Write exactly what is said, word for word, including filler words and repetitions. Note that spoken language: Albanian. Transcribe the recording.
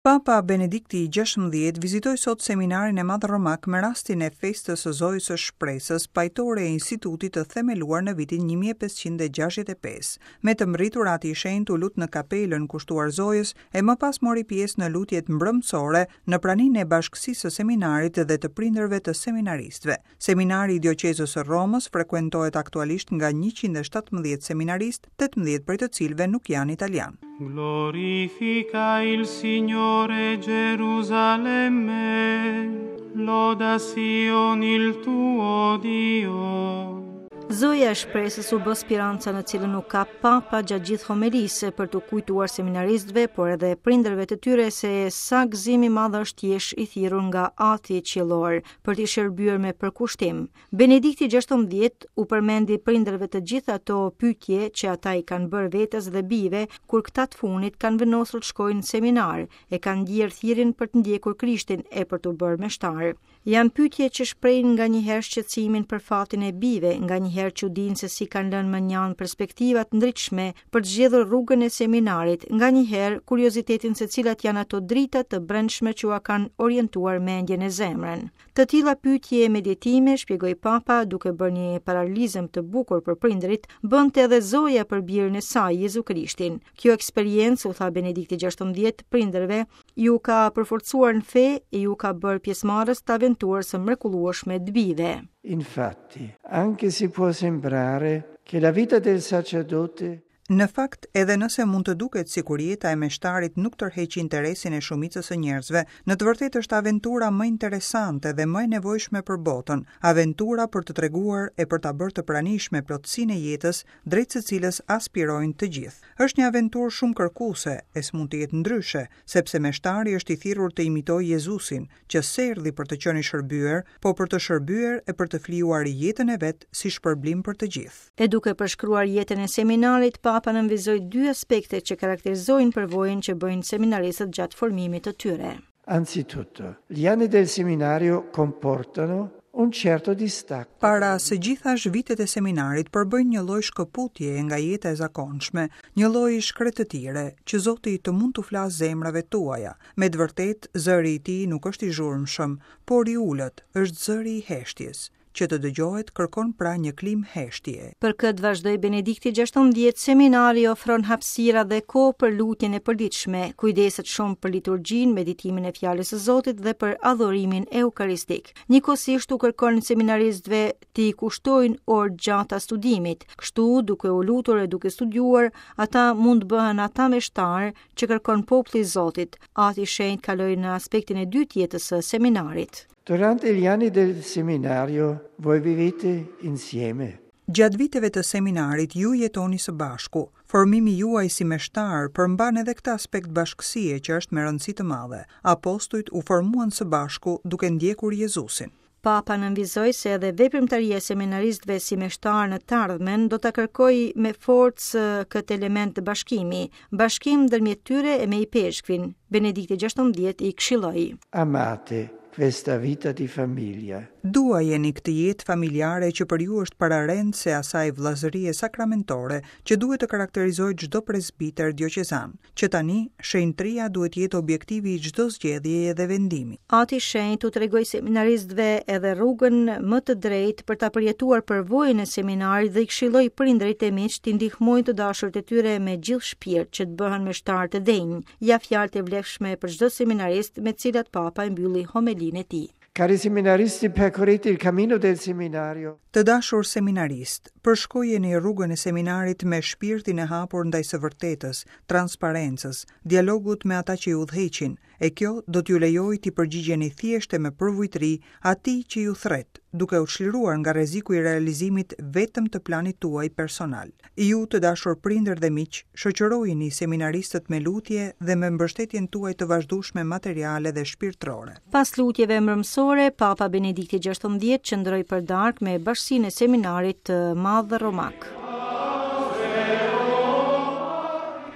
Papa Benedikti i gjashtëmbëdhjetë vizitoi sot seminarin e madh romak me rastin e festës së Zojës së Shpresës, pajtore e institutit të themeluar në vitin një mijë e pesëqind e gjashtëdhjetë e pesë. Me të mbërritur Ati i Shenjtë u lut në kapelën kushtuar Zojës e më pas mori pjesë në lutjet mbrëmësore në praninë e bashkësisë së seminarit dhe të prindërve të seminaristëve. Seminari i Dioqezës së Romës frekuentohet aktualisht nga njëqind e shtatëmbëdhjetë seminaristë, tetëmbëdhjetë prej të cilëve nuk janë italianë. Glorifica il Signore Gerusalemme, loda Sion il tuo Dio. Zoja e Shpresës u bë speranca në cilën u kap Papa gjatë gjithë homelisë për të kujtuar seminaristëve, por edhe prindërve të tyre se sa gëzim i madh është të jesh i thirrur nga Ati Qiellor për t'i shërbyer me përkushtim. Benedikti gjashtëmbëdhjetë u përmendi prindërve të gjitha ato pyetje që ata i kanë bërë vetes dhe bijve kur këta të fundit kanë vendosur të shkojnë në seminar e kanë ndjerë thirrjen për të ndjekur Krishtin e për t'u bërë meshtar. Janë pyetje që shprehin nganjëherë shqetësimin për fatin e bijve, nganjëherë çudinë se si kanë lënë mënjanë perspektiva të ndritshme për të zgjedhur rrugën e seminarit, nganjëherë kuriozitetin se cilat janë ato drita të brendshme që ua kanë orientuar mendjen e zemrën. Të tilla pyetje e meditime, shpjegoi Papa, duke bërë një paralelizëm të bukur për prindërit, bënte edhe Zoja për birin e saj, Jezu Krishtin. Kjo eksperiencë, u tha Benedikti gjashtëmbëdhjetë, prindërve, ju ka përforcuar në fe e ju ka bërë pjesëmarrës të aventurës së mrekullueshme të bijve. Infatti, anche se può sembrare che la vita del sacerdote Në fakt, edhe nëse mund të duket sikur jeta e meshtarit nuk tërheq interesin e shumicës së njerëzve, në të vërtetë është aventura më interesante dhe më e nevojshme për botën, aventura për të treguar e për ta bërë të pranishme plotësinë e jetës, drejt së cilës aspirojnë të gjithë. Është një aventurë shumë kërkuese, e s'mund të jetë ndryshe, sepse meshtari është i thirrur të imitojë Jezusin, që s'erdhi për të qenë i shërbyer, po për të shërbyer e për të flijuar jetën e vet si shpërblim për të gjithë. E duke përshkruar jetën e seminarit, Papa nënvizoi dy aspekte që karakterizojnë përvojën që bëjnë seminaristët gjatë formimit të tyre. Anzitutto, gli anni del seminario comportano un certo distacco. Para së gjithash, vitet e seminarit përbëjnë një lloj shkëputjeje nga jeta e zakonshme, një lloj shkretëtire që Zoti të mund t'u flasë zemrave tuaja. Me të vërtetë, zëri i tij nuk është i zhurmshëm, por i ulët, është zëri i heshtjes. Që të dëgjohet kërkon pra një klimë heshtje. Për këtë vazhdoi Benedikti gjashtëmbëdhjetë, seminari ofron hapësira dhe kohë për lutjen e përditshme, kujdeset shumë për liturgjinë, meditimin e fjalës së Zotit dhe për adhurimin eukaristik. Njëkohësisht u kërkon seminaristëve t'i kushtojnë orë gjata studimit. Kështu, duke u lutur e duke studiuar, ata mund të bëhen ata meshtar që kërkon populli i Zotit. Ati i Shenjtë kaloi në aspektin e dytë jetës së seminarit. Durante gli anni del seminario voi vivete insieme. Gjatë viteve të seminarit ju jetoni së bashku. Formimi juaj si meshtar përmban edhe këtë aspekt bashkësie që është me rëndësi të madhe. Apostujt u formuan së bashku duke ndjekur Jezusin. Papa nënvizoi se edhe veprimtaria e seminaristëve si meshtar në të ardhmen do ta kërkojë me forcë këtë element të bashkimi, bashkim ndërmjet tyre e me ipeshkvin. Benedikti gjashtëmbëdhjetë i këshilloi. Amate questa vita di famiglia. Duajeni këtë jetë familjare që për ju është pararendëse asaj vëllazërie sakramentore që duhet të karakterizojë çdo presbiter dioqezan, që tani shenjtëria duhet të jetë objektivi i çdo zgjedhjeje dhe vendimi. Ati Shenjt u tregoi seminaristëve edhe rrugën më të drejtë për ta përjetuar përvojën e seminarit dhe i këshilloi prindërit e miqtë t'i ndihmojnë të dashurit e tyre me gjithë shpirt që të bëhen meshtar të denjë. Ja fjalët e vlefshme për çdo seminarist me të cilat Papa e mbylli homelinë e tij. Cari seminaristi, percorrete il cammino del seminario. Të dashur seminarist, përshkojeni rrugën e seminarit me shpirtin e hapur ndaj së vërtetës, transparencës, dialogut me ata që ju udhëheqin, e kjo do t'ju lejojë t'i përgjigjeni thjesht e me përvujtëri atij që ju thret, duke u çliruar nga rreziku i realizimit vetëm të planit tuaj personal. Ju, të dashur prindër dhe miq, shoqërojini seminaristët me lutje dhe me mbështetjen tuaj të vazhdueshme materiale dhe shpirtërore. Pas lutjeve mbrëmsore, Papa Benedikti gjashtëmbëdhjetë qëndroi për darkë me bashkësinë e seminarit të madh romak.